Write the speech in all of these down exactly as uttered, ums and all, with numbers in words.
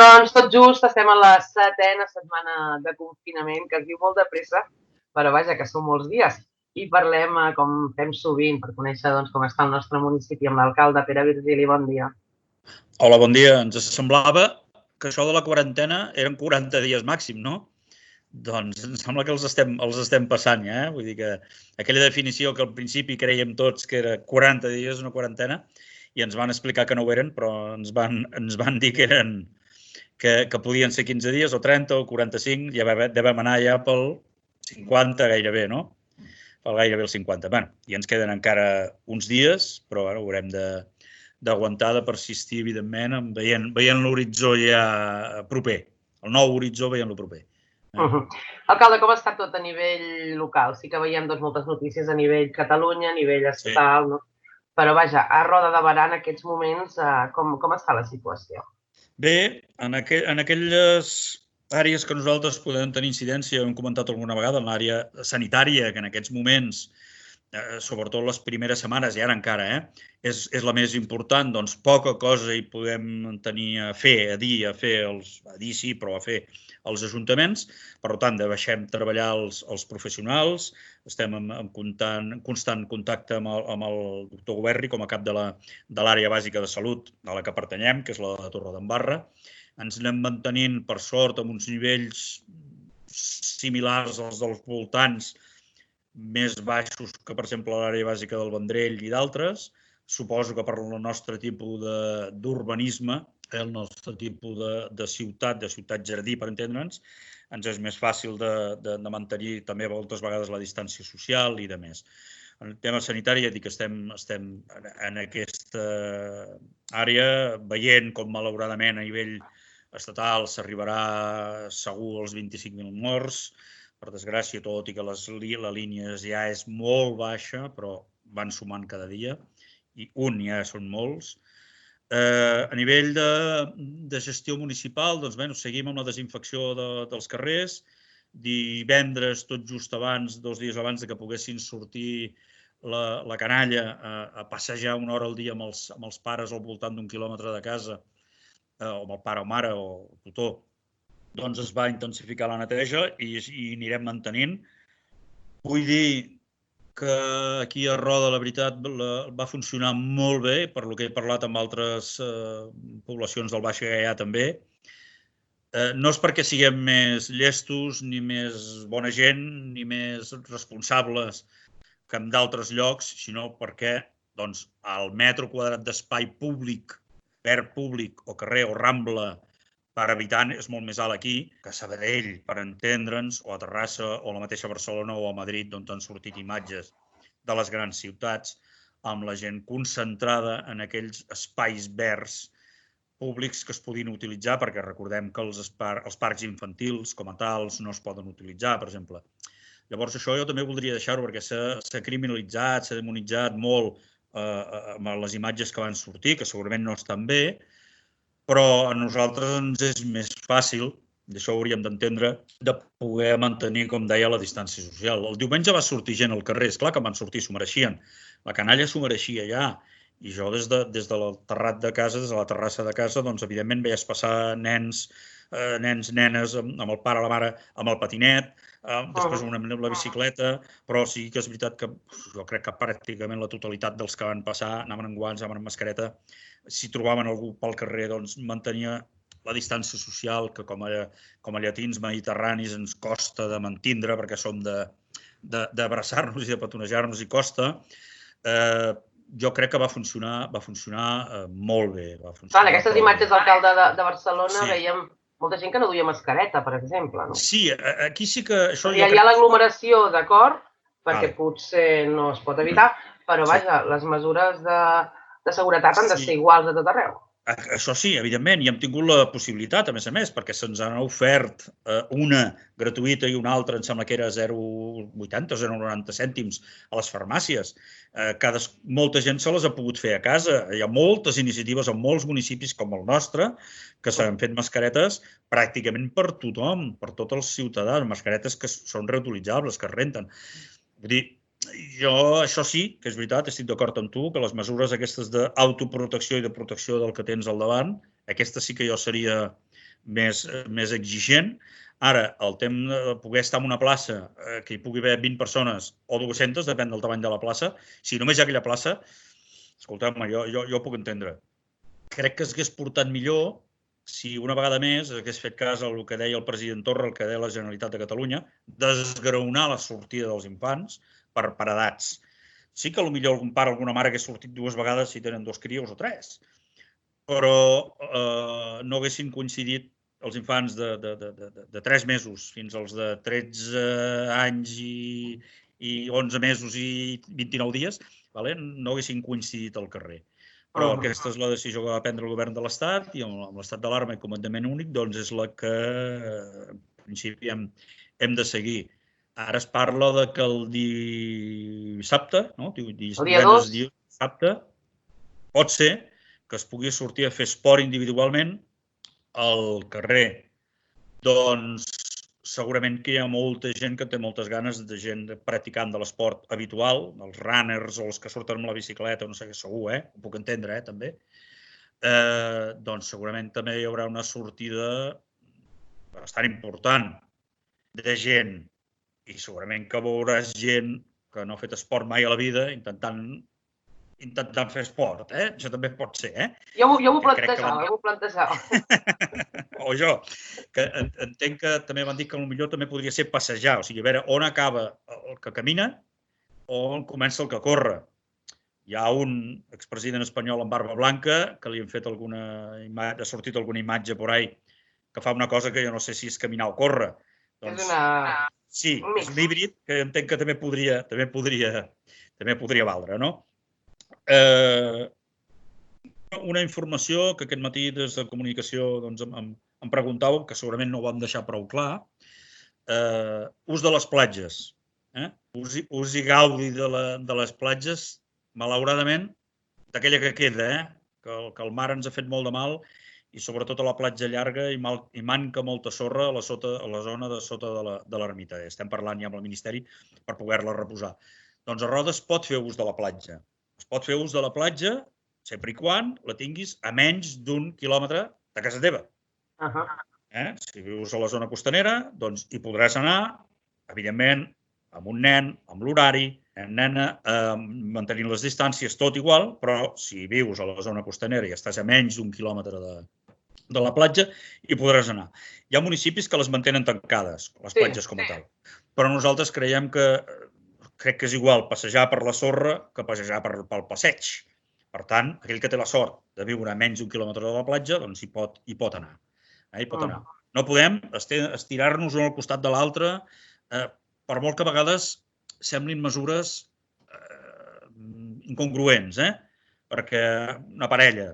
Doncs tot just estem a la setena setmana de confinament, que es diu molt de pressa, però vaja, que són molts dies. I parlem, com fem sovint, per conèixer doncs, com està el nostre municipi amb l'alcalde Pere Virgili. Bon dia. Hola, bon dia. Ens semblava que això de la quarantena eren quaranta dies màxim, no? Doncs em sembla que els estem, els estem passant ja, eh? Vull dir que aquella definició que al principi creiem tots que era quaranta dies, una quarantena, i ens van explicar que no ho eren, però ens van, ens van dir que eren que, que podien ser quinze dies, o trenta, o quaranta-cinc, ja devem anar ja pel cinquanta gairebé, no? Pel gairebé el cinquanta. Bé, i ens queden encara uns dies, però bueno, haurem de d'aguantar, de persistir, evidentment, veient, veient l'horitzó ja proper, el nou horitzó veient-lo proper. Uh -huh. Alcalde, com està tot a nivell local? Sí que veiem doncs, moltes notícies a nivell Catalunya, a nivell estatal, sí. No? Però vaja, a Roda de Berà en aquests moments, uh, com, com està la situació? Bé, en, aqu en aquelles àrees que nosaltres podem tenir incidència, hem comentat alguna vegada, en l'àrea sanitària, que en aquests moments, eh, sobretot les primeres setmanes, i ara encara, eh, és, és la més important, doncs poca cosa hi podem tenir a fer, a dir, a fer, els, a dir sí, però a fer els ajuntaments. Per tant, deixem treballar els, els professionals, estem en, en, constant, en constant contacte amb el, amb el doctor Goverri com a cap de l'àrea bàsica de salut a la que pertanyem, que és la de Torredembarra. Ens anem mantenint, per sort, amb uns nivells similars als dels voltants, més baixos que, per exemple, l'àrea bàsica del Vendrell i d'altres. Suposo que per el nostre tipus d'urbanisme, el nostre tipus de, de ciutat, de ciutat-jardí, per entendre'ns, ens és més fàcil de, de, de mantenir també moltes vegades la distància social i de més. En el tema sanitari, ja dic que estem, estem en aquesta àrea veient com, malauradament, a nivell estatal s'arribarà segur als vint-i-cinc mil morts. Per desgràcia, tot i que les, la línia ja és molt baixa, però van sumant cada dia, i un ja són molts. Eh, a nivell de, de gestió municipal, doncs, bé, seguim amb la desinfecció de, dels carrers. Divendres, tot just abans, dos dies abans de que poguessin sortir la, la canalla a, a passejar una hora al dia amb els, amb els pares al voltant d'un quilòmetre de casa, eh, o amb el pare o mare o el tutor, doncs es va intensificar la neteja i, i anirem mantenint. Vull dir que aquí a Roda, la veritat, la, va funcionar molt bé, per lo que he parlat amb altres eh, poblacions del Baix Gaià també. Eh, no és perquè siguem més llestos, ni més bona gent, ni més responsables que en d'altres llocs, sinó perquè doncs, el metre quadrat d'espai públic, verd públic o carrer o rambla per habitant és molt més alt aquí que a Sabadell, per entendre'ns, o a Terrassa, o a la mateixa Barcelona o a Madrid, d'on han sortit imatges de les grans ciutats, amb la gent concentrada en aquells espais verds públics que es podien utilitzar, perquè recordem que els, espar, els parcs infantils com a tals no es poden utilitzar, per exemple. Llavors això jo també voldria deixar-ho, perquè s'ha criminalitzat, s'ha demonitzat molt eh, amb les imatges que van sortir, que segurament no estan bé, però a nosaltres ens és més fàcil, i això ho hauríem d'entendre, de poder mantenir, com deia, la distància social. El diumenge va sortir gent al carrer, esclar que van sortir, s'ho mereixien. La canalla s'ho mereixia ja, i jo des de, des de el terrat de casa, des de la terrassa de casa, doncs evidentment veies passar nens, eh, nens, nenes, amb, amb el pare, la mare, amb el patinet, eh, després una, amb la bicicleta, però sí que és veritat que jo crec que pràcticament la totalitat dels que van passar anaven amb guants, anaven amb mascareta. Si trobaven algú pel carrer, doncs mantenia la distància social, que com a, com a llatins mediterranis ens costa de mantindre, perquè som d'abraçar-nos i de petonejar-nos i costa. Eh, jo crec que va funcionar, va funcionar eh, molt bé. Va funcionar. Clar, en aquestes imatges d'alcalde de, de Barcelona sí. Veiem molta gent que no duia mascareta, per exemple. No? Sí, aquí sí que... Això hi ha, crec... ha l'aglomeració, d'acord, perquè vale. Potser no es pot evitar, però vaja, sí. Les mesures de, de seguretat han de ser sí. Iguals a tot arreu. Això sí, evidentment, i hem tingut la possibilitat, a més a més, perquè se'ns han ofert eh, una gratuïta i una altra, em sembla que era zero coma vuitanta o zero coma noranta cèntims a les farmàcies. Eh, cada, molta gent se les ha pogut fer a casa. Hi ha moltes iniciatives en molts municipis com el nostre que s'han fet mascaretes pràcticament per tothom, per tots els ciutadans, mascaretes que són reutilitzables, que es renten. Vull dir, jo, això sí, que és veritat, estic d'acord amb tu, que les mesures aquestes d'autoprotecció i de protecció del que tens al davant, aquestes sí que jo seria més, més exigent. Ara, el tema de poder estar en una plaça que hi pugui haver vint persones o dues-centes, depèn del tamany de la plaça, si només hi ha aquella plaça, escolteu-me, jo, jo, jo ho puc entendre. Crec que s'hagués portat millor si una vegada més hagués fet cas al que deia el president Torra, el que deia la Generalitat de Catalunya, desgraonar la sortida dels infants per, per edats. Sí que potser algun pare o alguna mare hagués sortit dues vegades si tenen dos crios o tres, però eh, no haguessin coincidit els infants de, de, de, de, de tres mesos fins als de tretze anys i, i onze mesos i vint-i-nou dies, vale? No haguessin coincidit al carrer. Però uh -huh. aquesta és la decisió que va prendre el govern de l'Estat i amb l'estat d'alarma i comandament únic doncs és la que en principi hem, hem de seguir. Ara es parla de que el dissabte, no? divendres, dissabte, pot ser que es pugui sortir a fer esport individualment al carrer. Doncs segurament que hi ha molta gent que té moltes ganes de gent practicant de l'esport habitual, dels runners o els que surten amb la bicicleta, no sé què, segur, eh? Ho puc entendre, eh, també. Eh, doncs segurament també hi haurà una sortida bastant important de gent i segurament que veuràs gent que no ha fet esport mai a la vida intentant intentant fer esport, eh? Això també pot ser, eh? Jo, jo m'ho plantejava, jo m'ho plantejava. O jo, que entenc que també van dir que potser també podria ser passejar, o sigui, a veure on acaba el que camina o on comença el que corre. Hi ha un expresident espanyol amb barba blanca que li han fet alguna imatge, ha sortit alguna imatge por ahí que fa una cosa que jo no sé si és caminar o córrer. Doncs, és una... Sí, és un híbrid que entenc que també podria, també podria, també podria valdre, no? Eh, una informació que aquest matí des de comunicació doncs, em, em preguntàveu, que segurament no ho vam deixar prou clar, eh, ús de les platges. Eh? Ús, i, ús i gaudi de, la, de les platges, malauradament, d'aquella que queda, eh? que, el, que el mar ens ha fet molt de mal i sobretot a la platja llarga i, mal, i manca molta sorra a la, sota, a la zona de sota de l'ermita. Estem parlant ja amb el Ministeri per poder-la reposar. Doncs a Roda es pot fer ús de la platja. Es pot fer ús de la platja sempre i quan la tinguis a menys d'un quilòmetre de casa teva. Uh -huh. eh? Si vius a la zona costanera, doncs hi podràs anar, evidentment, amb un nen, amb l'horari, nena, eh, mantenint les distàncies, tot igual, però si vius a la zona costanera i estàs a menys d'un quilòmetre de, de la platja, hi podràs anar. Hi ha municipis que les mantenen tancades, les platges com a tal, però nosaltres creiem que crec que és igual passejar per la sorra que passejar per, pel passeig. Per tant, aquell que té la sort de viure a menys d'un quilòmetre de la platja, doncs hi pot, hi pot anar. Eh? Hi pot anar. No podem estirar-nos un al costat de l'altre, eh, per molt que a vegades semblin mesures eh, incongruents, eh? Perquè una parella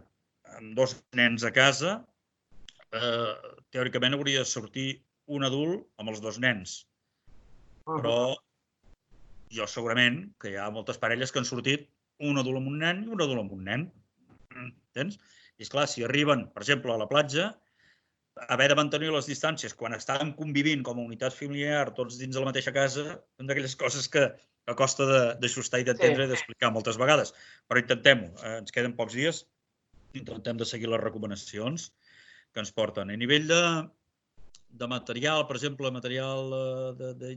amb dos nens a casa, eh, teòricament hauria de sortir un adult amb els dos nens. Però jo segurament que hi ha moltes parelles que han sortit un adult amb un nen i un adult amb un nen. Entens? I esclar, si arriben, per exemple, a la platja, haver de mantenir les distàncies quan estan convivint com a unitat familiar tots dins de la mateixa casa, són d'aquelles coses que a costa d'ajustar i d'entendre i d'explicar moltes vegades. Però intentem-ho. Ens queden pocs dies. Intentem de seguir les recomanacions que ens porten. A nivell de, de material, per exemple, material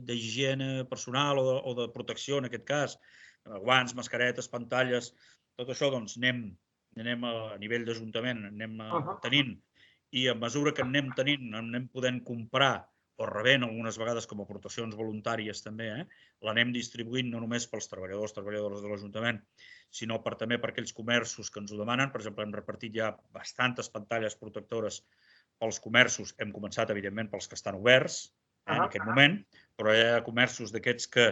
d'higiene personal o de, o de protecció, en aquest cas, guants, mascaretes, pantalles, tot això, doncs, anem, anem a, a nivell d'Ajuntament, anem uh -huh. tenint, i a mesura que anem tenint, anem podent comprar o rebent algunes vegades com a aportacions voluntàries també, eh? L'anem distribuint no només pels treballadors, treballadores de l'Ajuntament, sinó per, també per aquells comerços que ens ho demanen. Per exemple, hem repartit ja bastantes pantalles protectores pels comerços. Hem començat, evidentment, pels que estan oberts eh, en aquest moment, però hi ha comerços d'aquests que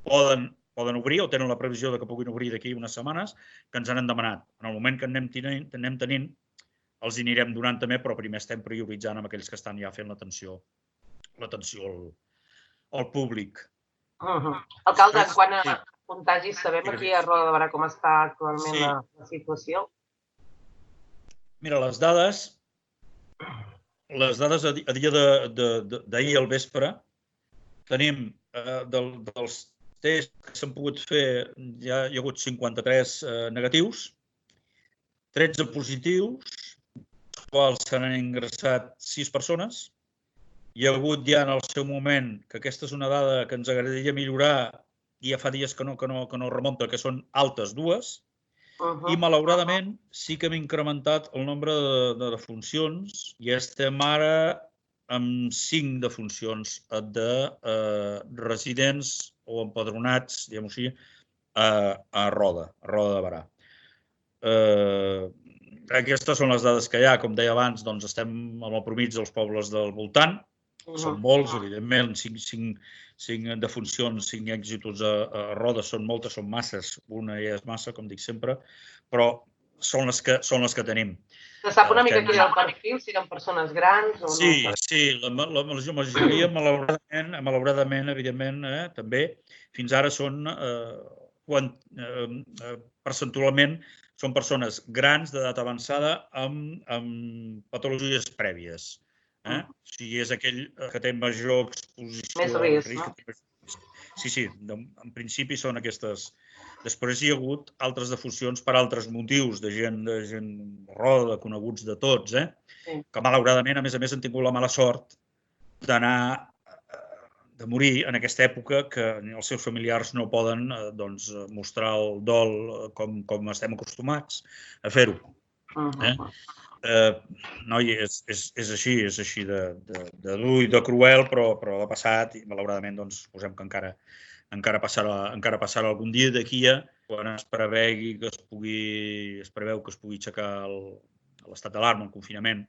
poden poden obrir o tenen la previsió de que puguin obrir d'aquí unes setmanes, que ens han demanat. En el moment que anem tenint, anem tenint els anirem donant també, però primer estem prioritzant amb aquells que estan ja fent l'atenció l'atenció al, al públic. Uh -huh. Alcalde, en quant a sí. contagis, sabem aquí a Roda de Barà com està actualment sí. la, la situació? Mira, les dades, les dades a dia d'ahir al vespre, tenim eh, del, dels tests que s'han pogut fer, ja hi ha hagut cinquanta-tres eh, negatius, tretze positius, quals s'han ingressat sis persones. Hi ha hagut ja en el seu moment, que aquesta és una dada que ens agradaria millorar, i ja fa dies que no, que no, que no remunta, que són altes dues, i malauradament sí que hem incrementat el nombre de, de defuncions i estem ara amb cinc defuncions de eh, residents o empadronats, diguem-ho així, a, a Roda, a Roda de Berà. Eh, aquestes són les dades que hi ha. Com deia abans, doncs estem amb el promig dels pobles del voltant. Són molts, evidentment, cinc, cinc, cinc defuncions, cinc èxitos a, a Roda, són moltes, són masses, una ja és massa, com dic sempre, però són les que, són les que tenim. Se sap una mica quin és el perfil, si eren persones grans o no? Sí, sí, la, la, la majoria, malauradament, malauradament evidentment, eh, també, fins ara són, eh, quan, eh, percentualment, són persones grans d'edat avançada amb, amb patologies prèvies. Eh? O sigui, és aquell que té major exposició Més risc, no? Sí, sí, en principi són aquestes. Després hi ha hagut altres defuncions per altres motius, de gent de gent roda, de coneguts de tots, eh? Sí. Que malauradament, a més a més, han tingut la mala sort d'anar, de morir en aquesta època que els seus familiars no poden doncs, mostrar el dol com, com estem acostumats a fer-ho. Eh? Eh, noi, és, és, és així, és així de, de, de dur i de cruel, però, però ha passat i malauradament doncs, suposem que encara, encara, passarà, encara passarà algun dia d'aquí a quan es prevegui que es pugui, es preveu que es pugui aixecar l'estat d'alarma, el confinament,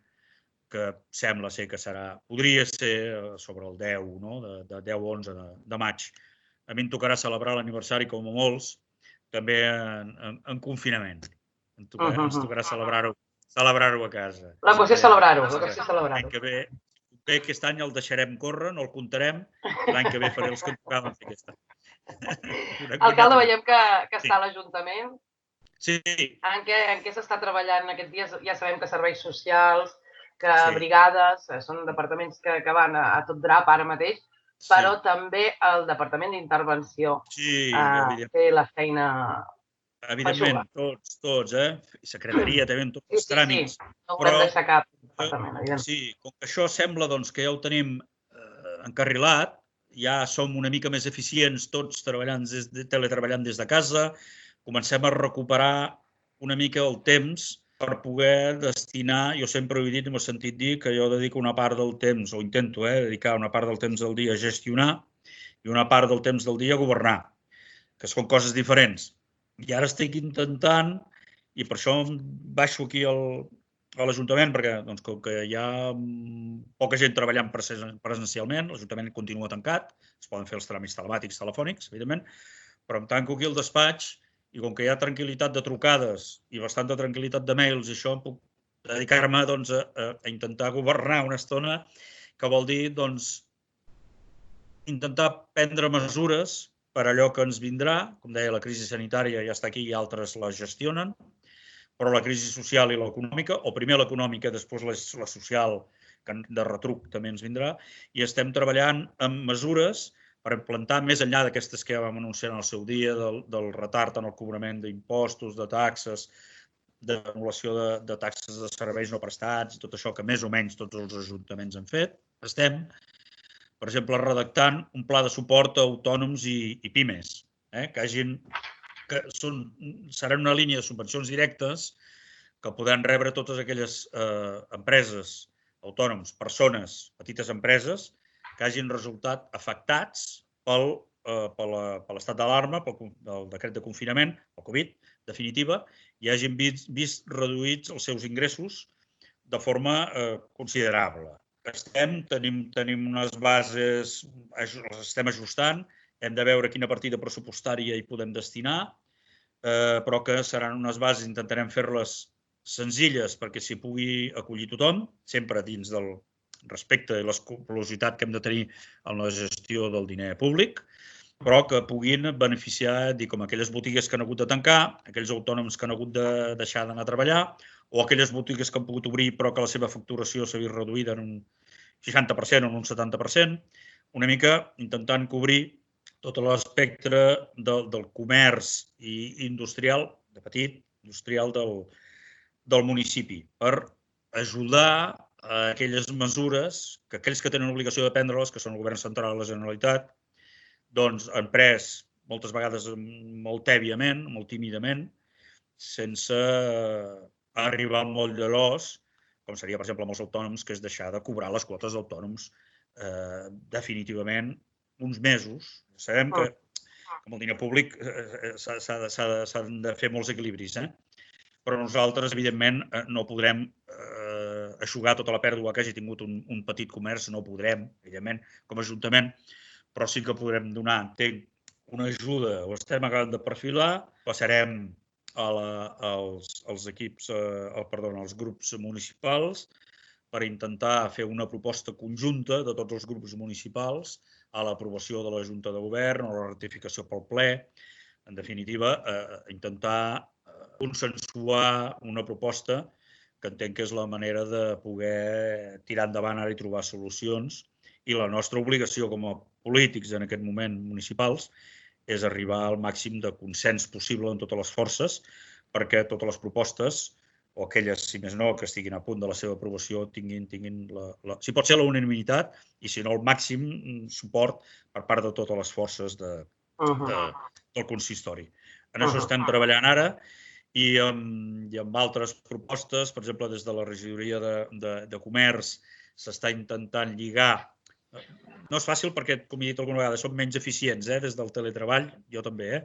que sembla ser que serà, podria ser sobre el deu, no? de, de deu a onze de, de maig. A mi em tocarà celebrar l'aniversari, com a molts, també en, en, en confinament. Em tocarà, uh -huh. Ens tocarà celebrar-ho celebrar-ho a casa. La qüestió és celebrar-ho, la qüestió és celebrar-ho. L'any que ve, bé, aquest any el deixarem córrer, no el comptarem, i l'any que ve faré els que em tocaven fer aquest any. Alcalde, veiem que, que està a l'Ajuntament. Sí. En què, en què s'està treballant aquests dies? Ja sabem que serveis socials, que sí. brigades, són departaments que, que van a, a tot drap ara mateix, sí. Però també el Departament d'Intervenció sí, eh, té la feina... Evidentment, tots, tots, eh? Secretaria, també, en tots els tràmits. Sí, sí, sí. No ho hem deixat cap departament, evidentment. Sí, com que això sembla doncs, que ja ho tenim eh, encarrilat, ja som una mica més eficients tots treballant des de, teletreballant des de casa, comencem a recuperar una mica el temps per poder destinar, jo sempre ho he dit i m'ho he sentit dir, que jo dedico una part del temps, o intento eh, dedicar una part del temps del dia a gestionar i una part del temps del dia a governar, que són coses diferents. I ara estic intentant, i per això baixo aquí al, a l'Ajuntament, perquè doncs, com que hi ha poca gent treballant presencialment, l'Ajuntament continua tancat, es poden fer els tràmits telemàtics, telefònics, evidentment, però em tanco aquí al despatx i com que hi ha tranquil·litat de trucades i bastanta tranquil·litat de mails, i això em puc dedicar-me doncs, a, a intentar governar una estona, que vol dir doncs, intentar prendre mesures per allò que ens vindrà. Com deia, la crisi sanitària ja està aquí i altres la gestionen, però la crisi social i l'econòmica, o primer l'econòmica, després la social, que de retruc també ens vindrà, i estem treballant amb mesures per implantar, més enllà d'aquestes que ja vam anunciar en el seu dia, del, del retard en el cobrament d'impostos, de taxes, d'anul·lació de, de taxes de serveis no prestats, tot això que més o menys tots els ajuntaments han fet. Estem, per exemple, redactant un pla de suport a autònoms i, i pimes, eh? que, hagin, que són, seran una línia de subvencions directes que podran rebre totes aquelles eh, empreses, autònoms, persones, petites empreses, que hagin resultat afectats pel, eh, per l'estat d'alarma, pel decret de confinament, el Covid, definitiva, i hagin vist, vist reduïts els seus ingressos de forma eh, considerable. Estem, tenim, tenim unes bases, les estem ajustant, hem de veure quina partida pressupostària hi podem destinar, eh, però que seran unes bases, intentarem fer-les senzilles perquè s'hi pugui acollir tothom, sempre dins del respecte i l'escrupolositat que hem de tenir en la gestió del diner públic, però que puguin beneficiar, dir, com aquelles botigues que han hagut de tancar, aquells autònoms que han hagut de deixar d'anar a treballar, o aquelles botigues que han pogut obrir però que la seva facturació s'ha vist reduïda en un seixanta per cent o en un setanta per cent, una mica intentant cobrir tot l'espectre del, del comerç i industrial, de petit, industrial del, del municipi, per ajudar a aquelles mesures que aquells que tenen obligació de prendre-les, que són el govern central i la Generalitat, doncs han pres moltes vegades molt tèbiament, molt tímidament, sense arribar al moll de l'os, com seria, per exemple, amb els autònoms, que és deixar de cobrar les quotes d'autònoms eh, definitivament uns mesos. Sabem que amb el diner públic s'han de fer molts equilibris, eh? Però nosaltres, evidentment, no podrem eh, eixugar tota la pèrdua que hagi tingut un, un petit comerç, no ho podrem, evidentment, com a Ajuntament, però sí que podrem donar, entenc, una ajuda, ho estem acabant de perfilar, passarem a la, als, als equips, eh, perdó, als grups municipals per intentar fer una proposta conjunta de tots els grups municipals a l'aprovació de la Junta de Govern o la ratificació pel ple. En definitiva, eh, intentar consensuar una proposta que entenc que és la manera de poder tirar endavant ara i trobar solucions. I la nostra obligació com a polítics en aquest moment municipals és arribar al màxim de consens possible en totes les forces perquè totes les propostes, o aquelles, si més no, que estiguin a punt de la seva aprovació, tinguin, tinguin la, la, si pot ser la unanimitat i, si no, el màxim suport per part de totes les forces de, de, del consistori. En això estem treballant ara i amb, i amb altres propostes, per exemple, des de la regidoria de, de, de comerç s'està intentant lligar. No és fàcil perquè, com he dit alguna vegada, som menys eficients eh, des del teletreball, jo també, eh?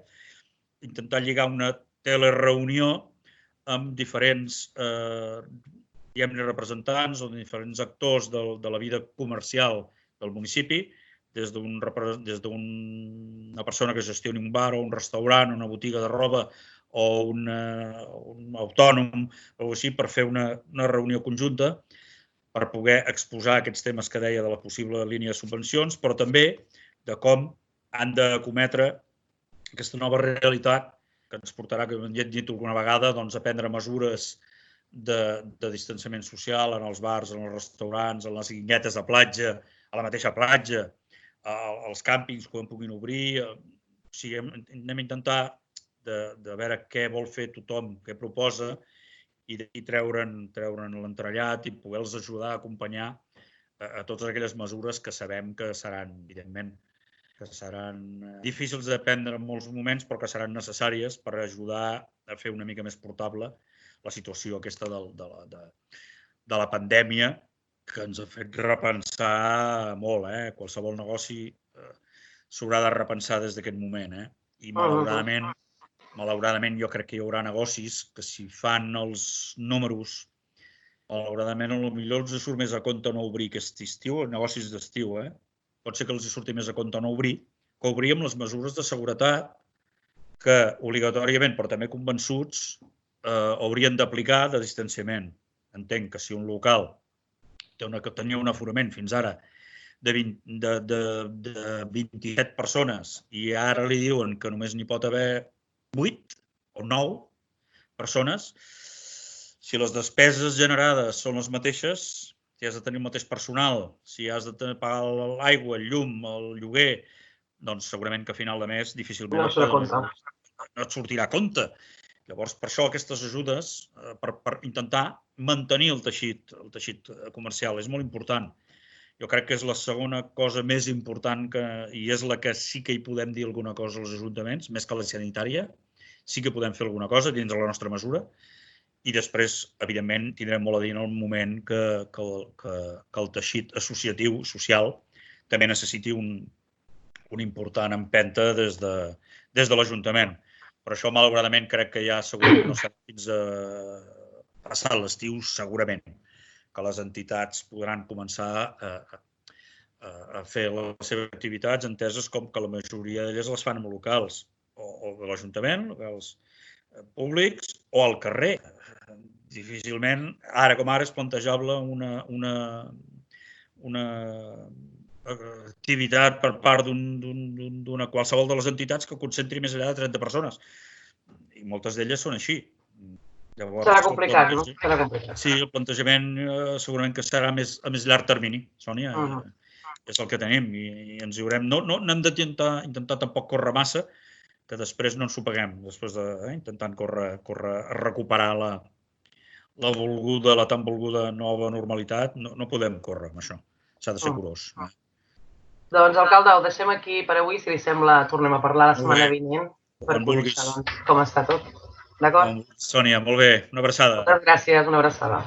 Intentar lligar una telereunió amb diferents eh, representants o diferents actors de, de la vida comercial del municipi, des d'una des d'un persona que gestioni un bar o un restaurant, una botiga de roba o una, un autònom o així, per fer una, una reunió conjunta per poder exposar aquests temes que deia de la possible línia de subvencions, però també de com han d'acometre aquesta nova realitat que ens portarà, que hem dit alguna vegada, doncs, a prendre mesures de, de distanciament social en els bars, en els restaurants, en les guinguetes de platja, a la mateixa platja, als càmpings quan puguin obrir. O sigui, anem a intentar de, de veure què vol fer tothom, què proposa, i d'aquí treure'n treure'n l'entrellat i poder-los ajudar a acompanyar a, a totes aquelles mesures que sabem que seran, evidentment, que seran difícils de prendre en molts moments, però que seran necessàries per ajudar a fer una mica més portable la situació aquesta de, de, la, de, de la pandèmia, que ens ha fet repensar molt. Eh? Qualsevol negoci eh, s'haurà de repensar des d'aquest moment. Eh? I malauradament, malauradament jo crec que hi haurà negocis que si fan els números, malauradament potser els surt més a compte no obrir aquest estiu, negocis d'estiu, eh? Pot ser que els surti més a compte no obrir, que obrir amb les mesures de seguretat que obligatòriament, però també convençuts, eh, haurien d'aplicar de distanciament. Entenc que si un local té una, que tenia un aforament fins ara de, vint, de, de, de vint-i-set persones i ara li diuen que només n'hi pot haver vuit o nou persones, si les despeses generades són les mateixes, si has de tenir el mateix personal, si has de pagar l'aigua, el llum, el lloguer, doncs segurament que a final de mes difícilment no, et, no et sortirà a compte. Llavors, per això aquestes ajudes, per, per intentar mantenir el teixit, el teixit comercial, és molt important. Jo crec que és la segona cosa més important que, i és la que sí que hi podem dir alguna cosa als ajuntaments, més que la sanitària, sí que podem fer alguna cosa dins de la nostra mesura. I després, evidentment, tindrem molt a dir en el moment que, que, que, que el teixit associatiu, social, també necessiti un, un important empenta des de, des de l'Ajuntament. Per això, malauradament, crec que ja segurament no serà fins a passar l'estiu, segurament, que les entitats podran començar a, a, a fer les seves activitats enteses com que la majoria d'elles les fan amb locals, o, o de l'Ajuntament, locals públics, o al carrer. Difícilment, ara com ara, és plantejable una, una, una activitat per part d'una qualsevol de les entitats que concentri més enllà de trenta persones. I moltes d'elles són així. Llavors, serà complicat, no? Serà complicat. Sí, el plantejament eh, segurament que serà més, a més llarg termini, Sònia. Uh -huh. És el que tenim i, i ens hi haurem... No, no, no hem d'intentar intentar tampoc córrer massa, que després no ens ho paguem, després d'intentant de, eh, córrer, córrer a recuperar la, la volguda, la tan volguda nova normalitat, no, no podem córrer amb això. S'ha de ser curós. Doncs, alcalde, ho deixem aquí per avui. Si li sembla, tornem a parlar la setmana vinent per Quan conèixer vulguis. doncs, com està tot. D'acord? Sònia, molt bé. Una abraçada. Moltes gràcies, una abraçada.